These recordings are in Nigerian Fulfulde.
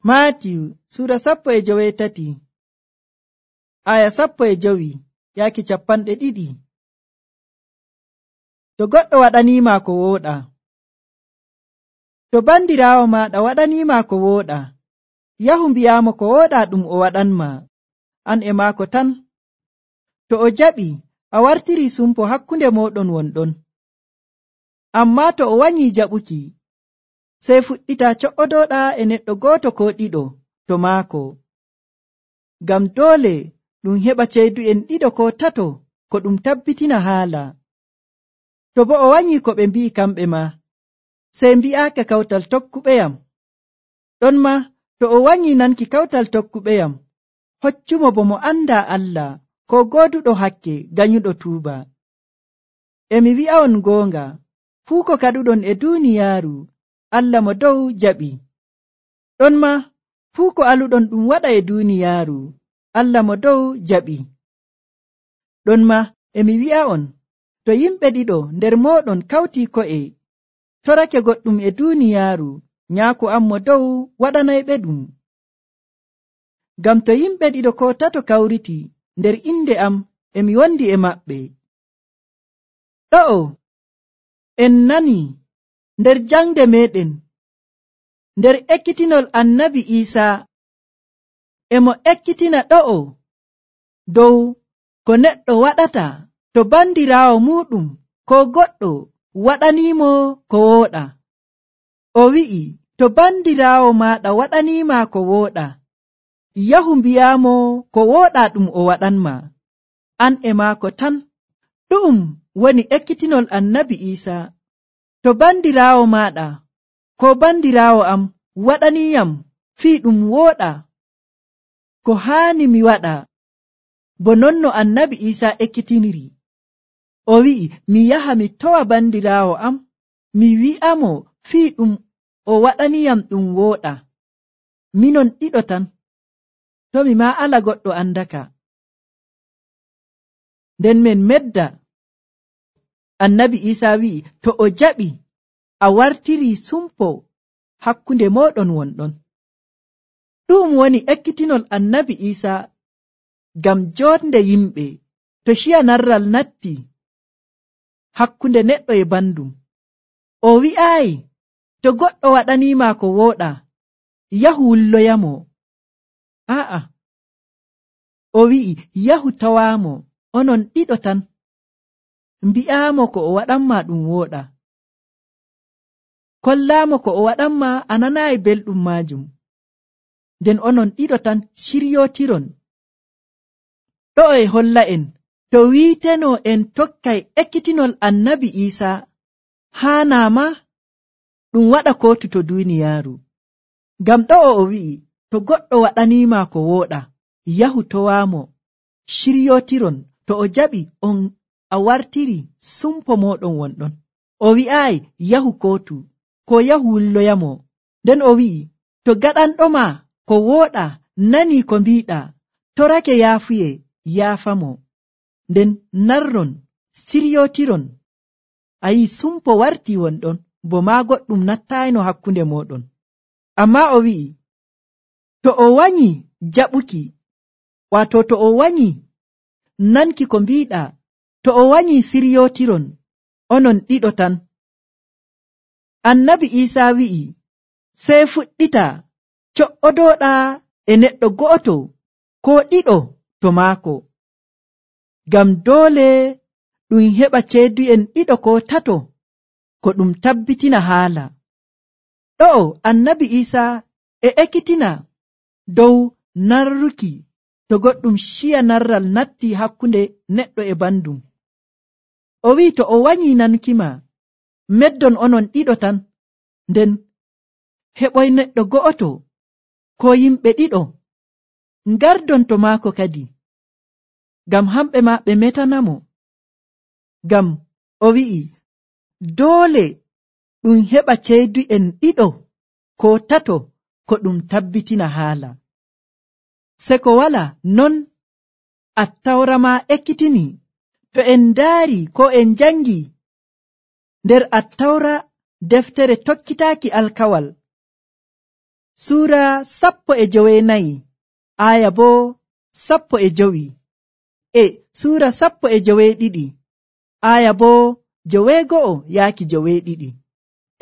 Maatiyu Sura 13 aya 15 yaaki 20. To goɗɗo waɗaniima ko wooɗa, to bandiraawo maaɗa waɗaniima ko wooɗa, yahu mbi'aamo ko wooɗa ɗum o waɗanma, an e maako tan. To o jaɓi, a wartirii sumpo hakkunde mooɗon wonɗon. Ammaa to o wanyii jaɓuki, sey fuɗɗita co'odoɗaa e neɗɗo gooto koo ɗiɗo to maako. Ngam doole ɗum heɓa ceydu'en ɗiɗo koo tato ko ɗum tabbitina haala. To bo o wanyii ko ɓe mbi'i kamɓe maa, sey mbi'aake kawtal tokkuɓeyam. Ɗonma to o wanyii nanki kawtal tokkuɓeyam, hoccumo bo mo andaa Allah koo gooduɗo hakke ganyuɗo tuuba. E mi wi'a'on goonga, fuu ko kaɗuɗon e duuniyaaru, Allah mo dow jaɓi. Ɗonma fuu ko aluɗon ɗum waɗa e duuniyaaru, Allah mo dow jaɓi. Ɗonma e mi wi'a'on, to yimɓe ɗiɗo nder mooɗon kawtii ko'e, torake goɗɗum e duuniyaaru, Nyaako am mo dow waɗanayɓe ɗum. Ngam to yimɓe ɗiɗo koo tato kawriti nder inde am, e mi wondi e maɓɓe. Ɗo'o en nani nder jangde meɗen, nder ekkitinol annabi Iisaa, e mo ekkitina ɗo'o dow ko neɗɗo waɗata to bandiraawo muuɗum koo goɗɗo waɗaniimo ko wooɗa. O wi'i, to bandiraawo maaɗa waɗaniima ko wooɗa, yahu mbi'aamo ko wooɗa ɗum o waɗanma, an e maako tan. Ɗu'um woni ekkitinol annabi Iisaa. To bandiraawo maaɗa koo bandiraawo am waɗaniiyam fii ɗum wooɗa, ko haani mi waɗa bo non no annabi Iisaa ekkitiniri. O wi'i, mi yaha mi towa bandiraawo am, mi wi'amo fii ɗum o waɗaniyam ɗum wooɗa. Minon ɗiɗo tan, to mi maa ala goɗɗo andaka. Nden men medda. Annabi Iisaa wi'i, to o jaɓi, a wartirii sumpo hakkunde mooɗon wonɗon. Ɗum woni ekkitinol annabi Iisaa ngam joonde yimɓe to ciya narral natti hakkunde neɗɗo e bandum. O wi'aayi, to goɗɗo waɗaniima ko wooɗa, yahu wulloyamo. Aa'a, o wi'i, yahu tawaamo, onon ɗiɗo tan, mbi'aamo ko o waɗanma ɗum wooɗa. Kollaamo ko o waɗanma a nanaayi belɗum maajum. Nden onon ɗiɗo tan ciryootiron. Ɗo'o e holla en, to wiiteno en tokkay ekkitinol annabi Iisaa, haanaama ɗum waɗa kootu to duuniyaaru. Ngam ɗo'o o wi'i, to goɗɗo waɗaniima ko wooɗa, yahu towaamo, ciryootiron, to o jaɓi on a wartiri sumpo mooɗon wonɗon. O wi'aayi yahu kootu, ko yahu wulloyamo. Nden o wi'i, to gaɗanɗoma ko wooɗa nanii ko mbiiɗa, torake yaafuye, yaafamo. Nden narron, ciryootiron. A yi'i sumpo wartii wonɗon, bo maa goɗɗum nattaayno hakkunde mooɗon. Ammaa o wi'i, to o wanyi jaɓuki, waato to o wanyi nanki ko mbiiɗa, to o wanyi ciryootiron, onon ɗiɗo tan. Annabi Iisaa wi'i, sey fuɗɗita co'odoɗaa e neɗɗo go'oto koo ɗiɗo to maako. Ngam doole ɗum heɓa ceydu'en ɗiɗo koo tato ko ɗum tabbitina haala. Ɗo'o annabi Iisaa e ekkitina dow narruki to goɗɗum ciya narral natti hakkunde neɗɗo e bandum. O wi'i, to o wanyii nanukima, meddon onon ɗiɗo tan, nden heɓoy neɗɗo go'oto koo yimɓe ɗiɗo, ngardon to maako kadi, ngam hamɓe maa ɓe metanamo. Ngam o wi'i, doole ɗum heɓa ceydu'en ɗiɗo koo tato ko ɗum tabbitina haala. Se ko walaa non Attawra maa ekkitini. To en ndaari koo en jangi nder Attawra deftere tokkitaaki alkawal, Suura 14 aya boo 15 suura 12 aya boo 9-12.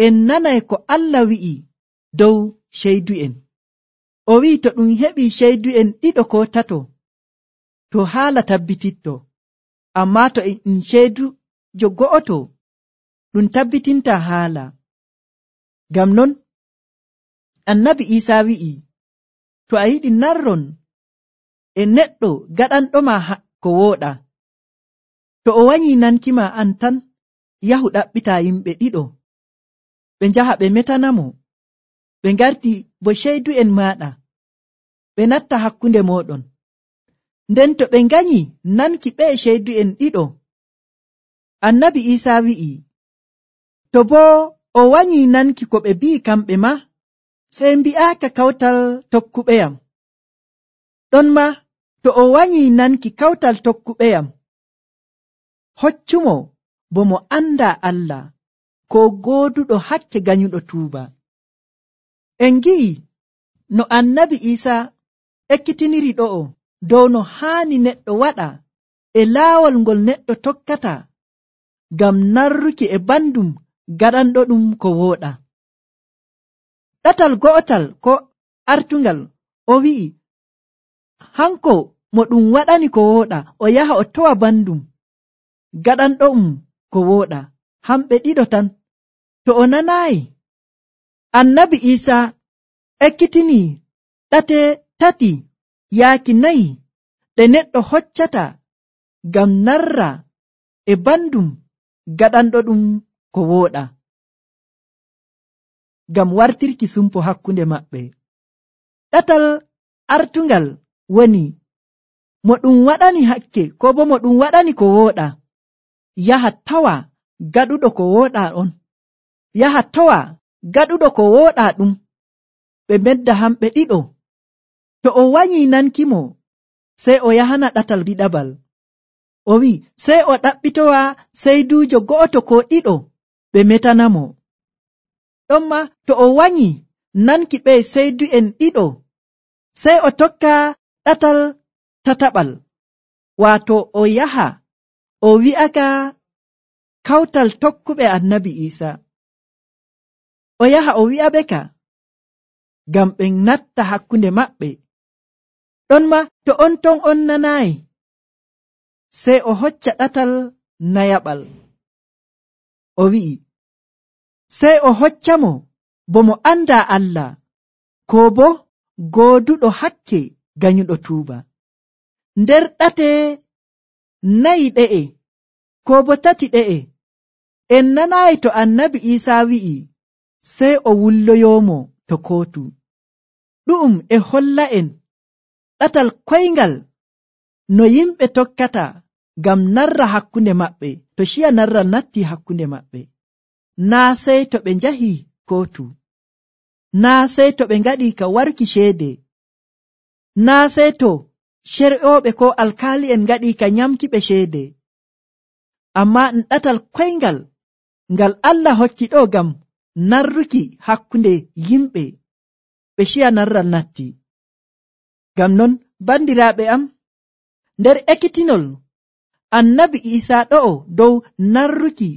En nanay ko Allah wi'i dow ceydu'en. O wi'i to ɗum heɓi ceydu'en 2 ko 3 to haala tabbititto, amma to en ceydujo go'oto ɗum tabbitinta haala. Ngam non Annabi Isa wi'i, to a yiɗi narron e neɗɗo gaɗanɗoma ko wooɗa, to o wanyi nankima an tan, yahu ɗaɓɓita yimɓe 2 ɓe njaha ɓe metanamo, ɓe ngarti bo ceydu'en maɗa, ɓe natta hakkunde moɗon. Nden to ɓe nganyi nanki ɓe ceydu'en 2, Annabi Isa wi'i, to boo o wanyi nanki ko ɓe bi'i kamɓe ma, sey mbi'aaka kawtal tokkuɓeyam. Ɗon ma to o wanyi nanki kawtal tokkuɓeyam, hoccumo bo mo anda Allah, ko gooduɗo hakke ganyuɗo tuuba. En gi'i no Annabi Isa ekkitiniri ɗo'o dow no haani neɗɗo waɗa e laawol ngol neɗɗo tokkata ngam narruki e bandum gaɗanɗo ɗum ko wooɗa. Ɗatal go'otal ko artungal o wi'i, hanko mo ɗum waɗani ko wooɗa, o yaha o towa bandum gaɗanɗo ko wooɗa, hamɓe 2 tan. To o nanayi, Annabi Isa ekkitini ɗate 3 yaaki 4 ɗe neɗɗo hoccata ngam narra e bandum gaɗanɗo ɗum ko wooɗa, ngam wartirki sumpo hakkunde maɓɓe. Ɗatal artungal woni, mo ɗum waɗani hakke ko bo mo ɗum waɗani ko wooɗa, yaha tawa gaɗuɗo ko wooɗa on, yaha tawa gaɗuɗo ko wooɗa ɗum, ɓe medda hamɓe 2. To o wanyi nankimo, sey o yahana ɗatal ɗiɗabal. O wi'i, sey o ɗaɓɓitowa seydujo go'oto ko 2 ɓe metanamo. Ɗonma to o wanyi nanki ɓe seydu'en 2, sey o tokka ɗatal tataɓal, waato o yaha o wi'aka kawtal tokkuɓe Annabi Isa. O yaha o wi'aɓe ka ngam ɓe natta hakkunde maɓɓe. Ɗonma to on ton on nanayi, sey o hocca ɗatal nayaɓal. O wi'i, sey o hoccamo bo mo anda Allah, ko bo gooduɗo hakke ganyuɗo tuuba. Nder ɗate 4 ɗe'e ko bo 3 ɗe'e, en nanayi to Annabi Isa wi'i sey o wulloyomo to kootu. Ɗu'um e holla en ɗatal koyngal no yimɓe tokkata ngam narra hakkunde maɓɓe, to ciya narral natti hakkunde maɓɓe. Naa sey to ɓe njahi kootu, naa sey to ɓe ngaɗi ka warki ceede, naa sey to cer'ooɓe ko alkaali'en ngaɗi ka nyamki ɓe ceede, amma ɗatal koyngal ngal Allah hokki ɗo ngam narruki hakkunde yimɓe, ɓe ciya narral natti. Ngam non bandiraaɓe am, nder ekkitinol Annabi Isa ɗo'o dow narruki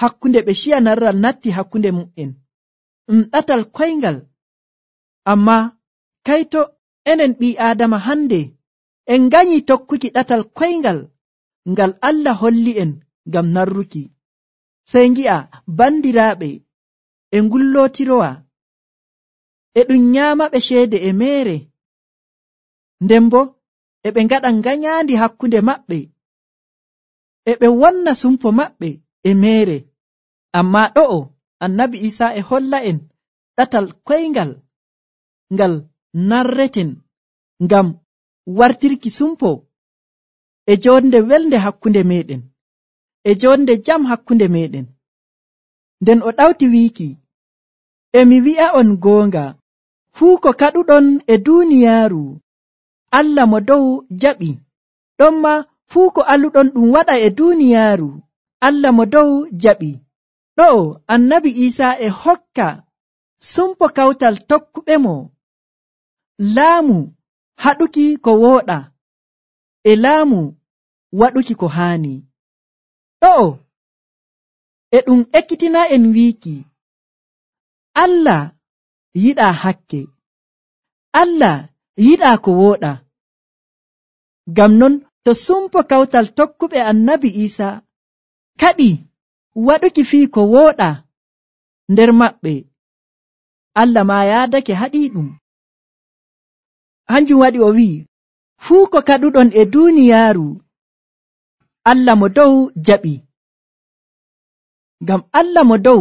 hakkunde ɓe ciya narral natti hakkunde mu'en, ɗatal koyngal. Amma kayto enen ɓii Aadama hande en ganyi tokkuki ɗatal koyngal ngal Allah holli en ngam narruki. Sey ngi'a bandiraaɓe e ngullootirowa, e ɗum nyaamaɓe ceede e meere, nden bo e ɓe ngaɗa nganyaandi hakkunde maɓɓe, e ɓe wonna sumpo maɓɓe e meere. Amma ɗo'o Annabi Isa e holla en ɗatal koyngal ngal narreten ngam wartirki sumpo e jonde welde hakkunde meɗen, e jonde jam hakkunde meɗen. Nden o ɗawti wiiki, emi wi'a on goonga, fuu ko kaɗuɗon e duuniyaaru, Allah mo dow jaɓi. Ɗonma fuu ko aluɗon ɗum waɗa e duuniyaaru, Allah mo dow jaɓi. Ɗo'o Annabi Isa e hokka sumpo kawtal tokkuɓe mo laamu haɗuki ko wooɗa e laamu waɗuki ko haani. Ɗo'o e ɗum ekkitina en wiiki Allah yiɗaa hakke, Allah yiɗaa ko wooɗa. Ngam non to sumpo kawtal tokkuɓe annabi Iisa kaɗi waɗuki fii ko wooɗa nder maɓɓe, Allah maa yaadake haɗii ɗum. Hanjum waɗi o wi'i, fuu ko kaɗuɗon e duuniyaaru, Allah mo dow jaɓi. Ngam Allah mo dow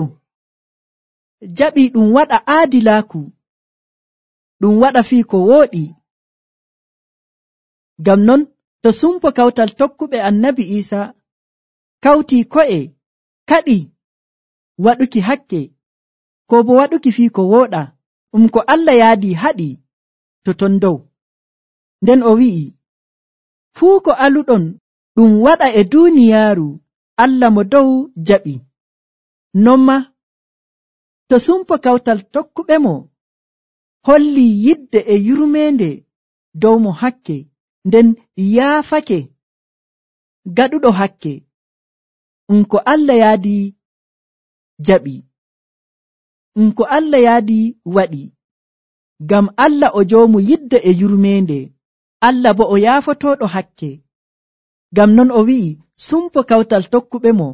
jaɓi ɗum waɗa aadilaaku, ɗum waɗa fii ko wooɗi. Ngam non to sumpo kawtal tokkuɓe annabi Iisa kawtii ko'e kaɗi waɗuki hakke, ko bo waɗuki fii ko wooɗa, ko Allah yaadi haɗi to ton dow. Nden o wi'i, fuu ko aluɗon ɗum waɗa e duuniyaaru, Allah mo dow jaɓi. Non ma to sumpo kawtal tokkuɓe mo holli yidde e yurmeende dow mo hakke, nden yaafake gaɗuɗo hakke, ko Allah yaadi jaɓi, ko Allah yaadi waɗi. Ngam Allah o joomu yidde e yurmeende, Allah bo o yaafotooɗo hakke. Ngam non o wi'i sumpo kawtal tokkuɓe mo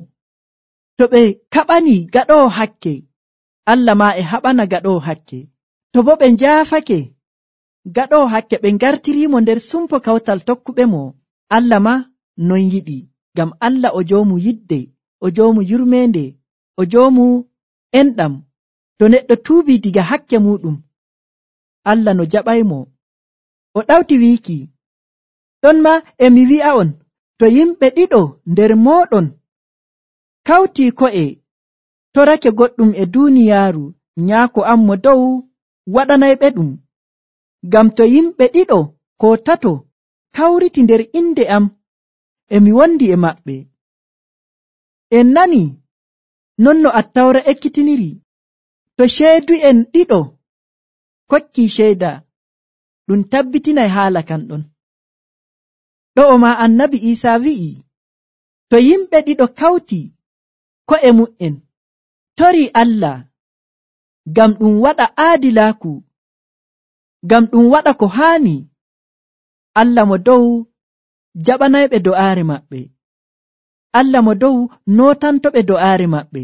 to ɓe kaɓani gaɗoowo hakke, Allah maa e haɓana gaɗoowo hakke. To bo ɓe njaafake gaɗoowo hakke, ɓe ngartiriimo nder sumpo kawtal tokkuɓe mo, Allah maa non yiɗi. Ngam Allah o joomu yidde, o joomu yurmeende, o joomu enɗam. To neɗɗo tuubii diga hakke muɗum, Allah no jaɓaymo. O ɗawti wiiki, ɗon ma emi wi'a'on, to yimɓe ɗiɗo nder mooɗon kawtii ko'e torake goɗɗum e duuniyaaru, nyaako am mo dow waɗanayɓe ɗum. Ngam to yimɓe ɗiɗo ko tato kawriti nder inde am, emi wondi e maɓɓe. En nani non no Attawra ekkitiniri, to ceedu'en ɗiɗo kokkii ceeda, ɗum tabbitinay haala kan ɗon. Ɗo'o maa annabi Iisaa wi'i, to yimɓe ɗiɗo kawti ko'e mu'en torii Allah, ngam ɗum waɗa aadilaaku, ngam ɗum waɗa ko haani, Allah mo dow jaɓanayɓe do'aare maɓɓe, Allah mo dow nootantoɓe do'aare maɓɓe.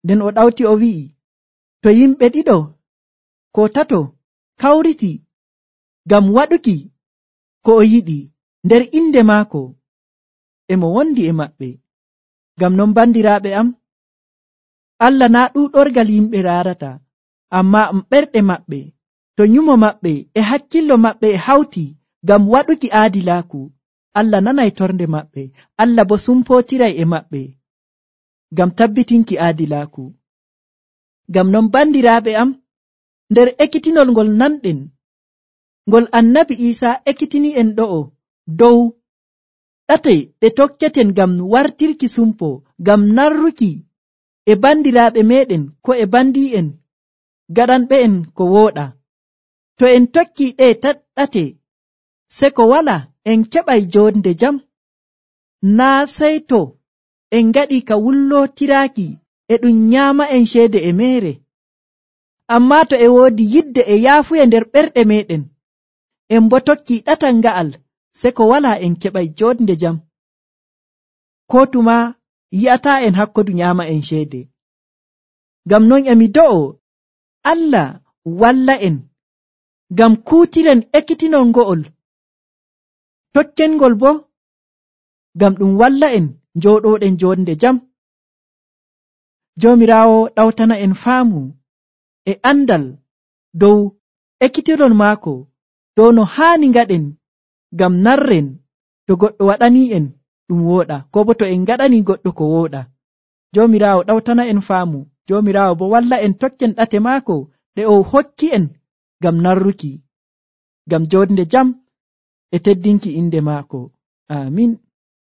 Nden o ɗawti o wi'i, to yimɓe ɗiɗo ko tato kawriti ngam waɗuki ko o yiɗi nder inde maako, emo wondi e maɓɓe. Ngam non bandiraaɓe am, Allah naa ɗuuɗorgal yimɓe raarata, ammaa ɓerɗe maɓɓe, to nyumo maɓɓe e hakkillo maɓɓe e hawti ngam waɗuki aadilaaku, Allah nanay torde maɓɓe, Allah bo sumpootiray e maɓɓe ngam tabbitinki aadilaaku. Ngam non bandiraaɓe am, nder ekkitinol ngol nanɗen, ngol annabi Iisaa ekkitini en ɗo'o dow ɗate ɗe tokketen ngam wartirki sumpo, ngam narruki e bandiraaɓe meɗen ko e bandi'en gaɗanɓe en ko wooɗa. To en tokki ɗe ɗate, se ko wala en keɓay jonde jam, naa sey to en ngaɗi ka wullootiraaki e ɗum nyaama en ceede e meere. Ammaa to e woodi yidde e yaafuya nder ɓerɗe meɗen, en bo tokki ɗatal nga'al, se ko wala en keɓay jonde jam. Ko tuma yi'ataa en hakkodu nyaama en ceede. Ngam non emi do'o Allah walla en ngam kuutiren ekkitinol ngo'ol, tokkengol bo ngam ɗum walla en njooɗoɗen jonde jam. Joomiraawo ɗawtana en faamu e andal dow ekkitinol maako, dow no haani ngaɗen ngam narren to goɗɗo waɗani en ɗum wooɗa, ko bo to en ngaɗani goɗɗo ko wooɗa. Joomiraawo ɗawtana en faamu, Joomiraawo bo walla en tokken ɗate maako ɗe o hokki en ngam narruki, ngam jonde jam e teddinki inde maako. Amin.